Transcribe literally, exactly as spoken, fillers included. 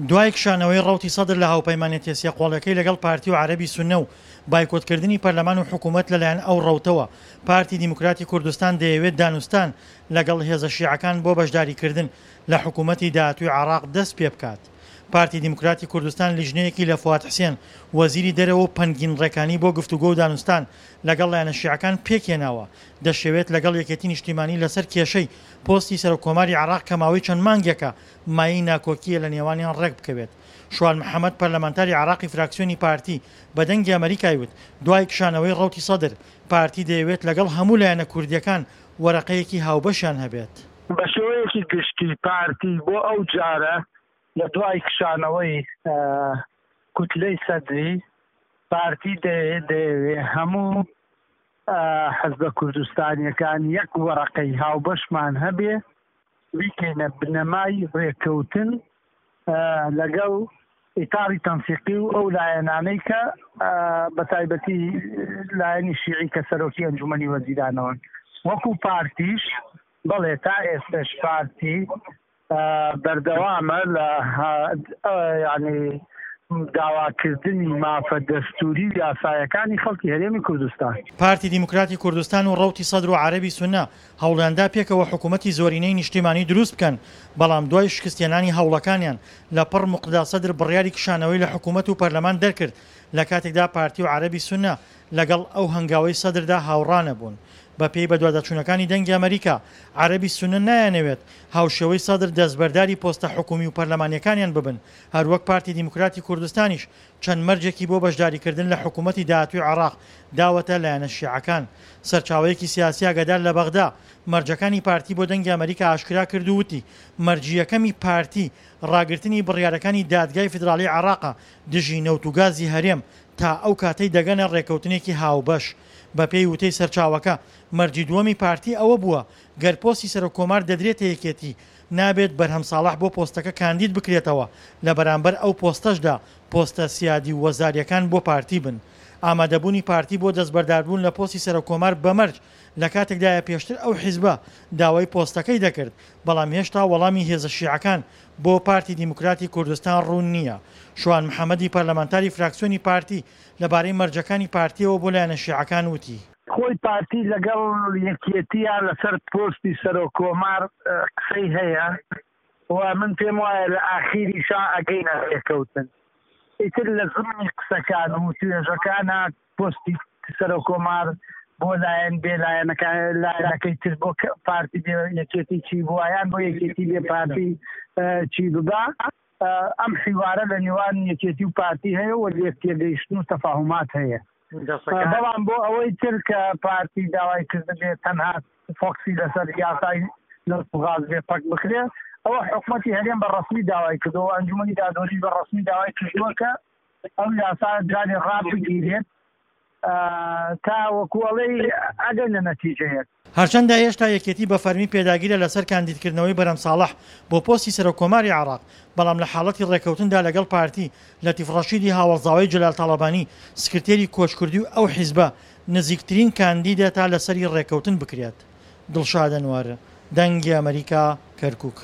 دوای کشانەوەی ڕەوتی سەدر لە هاوپەیمانێتیە سێ قۆڵیەکەی لەگەڵ پارتی و عەرەبی سوننە و بایکۆتکردنی پەرلەمان و حکوومەت لەلایەن ئەو ڕەوتەوە، پارتی دیموکراتی کوردستان دەیەوێت دانوستان لەگەڵ هێزە شیعەکان بۆ بەشداریکردن لە حکوومەتی داهاتووی عێراق دەست پێبکات. پارتی دیموکراتی کوردستان لیژنەیەکی لە فواد حسێن، وەزیری دەرەوە و پەنگین ڕێکانی بۆ گفتوگۆ و دانوستان لەگەڵ لایەنە شیعەکان پێکهێناوە، دەشیەوێت لەگەڵ یەکێتی نیشتیمانی لەسەر کێشەی پۆستی سەرۆککۆماری عێراق کە ماوەی چەند مانگێکە مایەی ناکۆکییە لە نێوانیان ڕێکبکەوێت. شوان محەمەد، پەرلەمانتاری عێراقی فراکسیۆنی پارتی بە دەنگی ئەمەریکای وت، دوای کشانەوەی ڕەوتی سەدر، پارتی دەیەوێت لەگەڵ هەموو لایەنە کوردییەکان وەرەقەیەکی هاوبەشیان هەبێت. بە شێوەیەکی گشتی پارتی بۆ ئەو جارە لە دوای کشانەوەی کوتلەی سەدری، پارتی دەیەوێ هەموو حزبە کوردستانیەکان یەک وەرەقەی هاوبەشمان هەبێ، بیکەینە بنەمای ڕێککەوتن لەگەڵ ئیتاری تەنسیقی و ئەو لایەنانەی کە بە تایبەتی لایەنی شیعی کە سەرۆکی ئەنجومەنی وەزیرانەوەن. وەکو پارتیش بەڵێ تا ئێستش پارتی بەردەوامە لە یعنی داواکردنی مافە دەستوری و یاسایەکانی خەڵکی هەرێمی کوردستان. پارتی دیموکراتی کوردستان و ڕەوتی سەدر و عەرەبی سوننە هەوڵیاندا پێکەوە حکوومەتی زۆرینەی نیشتیمانی دروست بکەن، بەڵام دوای شکستهێنانی هەوڵەکانیان لە پڕ موقتەدا سەدر بڕیاری کشانەوەی لە حکوومەت و پەرلەمان دەرکرد، لە کاتێکدا پارتی و عەرەبی سوننە لەگەڵ ئەو هەنگاوەی سەدردا هاوڕانەبوون. بەپێی بەدواداچوونەکانی دەنگی ئەمەریکا، عەرەبی سوننە نایانەوێت هاوشێوەی سەدر دەستبەرداری پۆستە حکومی و پەرلەمانییەکانیان ببن، هەروەک پارتی دیموکراتی کوردستانیش چەند مەرجێکی بۆ بەشداریکردن لە حکومەتی داهاتووی عێراق داوەتە لایەنە شیعەکان. سەرچاوەیەکی سیاسی ئاگادار لە بەغدا، مەرجەکانی پارتی بۆ دەنگی ئەمەریکا ئاشکرا کرد و وتی، مەرجی یەکەمی پارتی ڕاگرتنی بڕیارەکانی دادگای فیدراڵی عێراقە دژی نەوت و گازی هەرێم تا ئەو کاتەی دەگەنە ڕێکەوتنێکی هاوبەش. بەپێی وتەی سەرچاوەکە، مەرجی دووەمی پارتی ئەوە بووە، گەر پۆستی سەرۆک کۆمار دەدرێتە یەکێتی، نابێت بەرهەم ساڵح بۆ پۆستەکە کاندید بکرێتەوە، لە بەرامبەر ئەو پۆستەشدا پۆستە سیادی و وەزارییەکان بۆ پارتی بن. ئامادەبوونی پارتی بۆ دەستبەرداربوون لە پۆستی سەرۆک کۆمار بە مەرج لە کاتێکدایە پێشتر ئەو حیزبە داوای پۆستەکەی دەکرد، بەڵام هێشتا وەڵامی هێزە شیعەکان بۆ پارتی دیموکراتی کوردستان ڕوون نییە. شوان محەمەدی پەرلەمانتاری فراکسیۆنی پارتی لەبارەی مەرجەکانی پارتییەوە بۆ لایەنە شیعەکان وتی. خۆی پارتی لەگەڵ یەکێتییە لەسەر پۆستی سەرۆک کۆمار قسەی هەیە و من پێم وایە لە ئاخیریشا ئەگەینە ڕێکەوتن. ئیتر لە زمنی قسەکان و توێژەکانە پۆستی سەرۆک کۆمار بۆ لایەن بێ لایەنەکان لایەنەکەی تر بۆ پارتی بێ یەکێتی چی بووە یان بۆ یەکێتی بێ پارتی چی ببا، ئەم حیوارە لە نێوان یەکێتی و پارتی هەیە و لێک تێگەیشتن و تەفاهومات هەیە. بەڵام بۆ ئەوەی تر کە پارتی داوای کردبێت تەنها فۆکسی لەسەر یاسای نەوت و غاز بێ پەک بکرێ، ئەوە حکومەتی هەرێم بە ڕەسمی داوای کردووە و ئەنجومەنی دادوەریش بە ڕەسمی داوای کردووە کە ئەو یاسا جارێ ڕابگیرێت تا وەکو ئەڵێی ئەگەنە نەتیجەیەک. هەرچەندە هێشتا یەکێتی بە فەرمی پێداگیرە لەسەر کاندیدکردنەوەی بەرهەم ساڵح بۆ پۆستی سەرۆککۆماری عێراق، بەڵام لە حاڵەتی ڕێککەوتندا لەگەڵ پارتی، لەتیف ڕەشیدی هاوەڵزاوەی جەلال تاڵەبانی، سکرتێری کۆچکردووی ئەو حیزبە، نزیکترین کاندیدە تا لەسەری ڕێککەوتن بکرێت. دڵشاد ئەنوەر، دەنگی ئەمەریکا، کەرکوک.